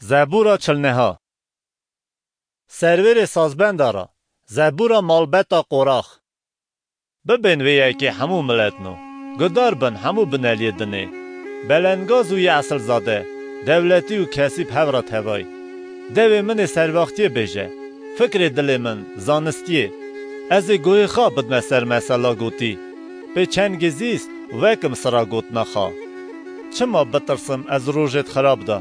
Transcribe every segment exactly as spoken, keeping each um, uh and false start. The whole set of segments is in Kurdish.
Zebûra çilneha. Servêrê sazbenda ra, zebûra malbeta Qorax. Bibên vê yekê hemû miletno, gudar bin hemû bineliyê dinê. Belengaz û yê esilzade, dewletî û kesî bi hev re tevay. Devê min ê servaxtiyê bêje, fikrê dilê min, zanistiyê. Ez ê guhê xwe bidime ser mesela gotî. Pê çend gezîst wekim sira gotina xwe. Çima bitirsim ez rojêd xirab de?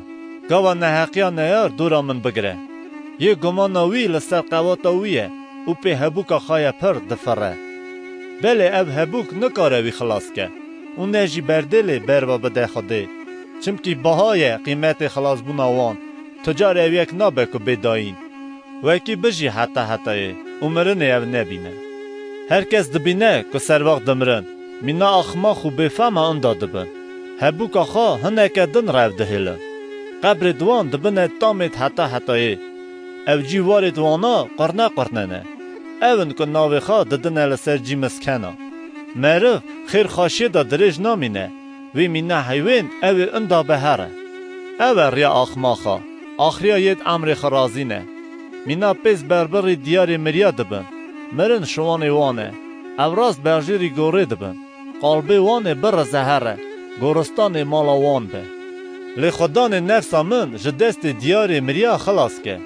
Gava neheqiya neyar dora min bigire. Yê gumana wî li ser qewata wî ye û pê hebûka xwe ye pir difire. Belê ev hebûk nikare wî xilas ke û ne jî berdêlê berva bide Xwedê. Çimkî baha ye qîmetê xilasbûna wan. Tu car ev yek nabe ku bê dayîn. Wekî bijî heta hetayê û mirinê ev nebîne. Her kes dibîne ku servaxt dimirin, mîna axmax û bêfema inda dibin. Hebûka xwe hineke din rev dihêlin. Qebrê di wan dibine tamêd heta hetayê. Ev cî warêd wana qurne qurne ne. Ew in ku navê xwe didine li ser cî miskena. Meriv xêr xweşiyê de dirêj namîne. Wê mîna heyvên ew ê inda be here. Ew e riya axmaxa, axriya yêd emrê xwe razîne. Mîna pêz berbirî diyarê miriya dibin. Mirin şiwanê wan e. Ew rast berjêrî gorê dibin. Qalbê wan ê birize here, goristanê mala wan be. Lê xwedanê nefsa min ji destê diyarê miriya xilas ke.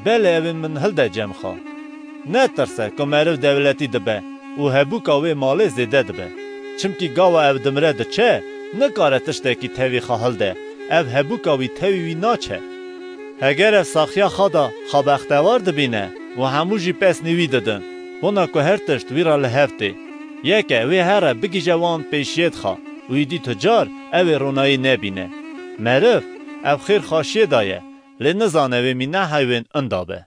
Belê ew ê min hilde cem xwe. Netirse ku meriv dewletî dibe û hebûka wê malê zêde dibe. Çimkî gava ew dimire diçe, nikare tiştekî tevî xwe hilde, ev hebûka wî tevî wî naçe. Heger ev saxiya xwe de xwe bextewar dibîne û hemû jî pesnî wî didin, bona ku her tişt wî re li hev tê. Yeke wê here bigihîje wan pêşiyêd xwe û îdî tu car ew ê ronayî nebîne. Meriv ev xêr xweşiyê de ye, lê nizane wê mîna heyvên inda be.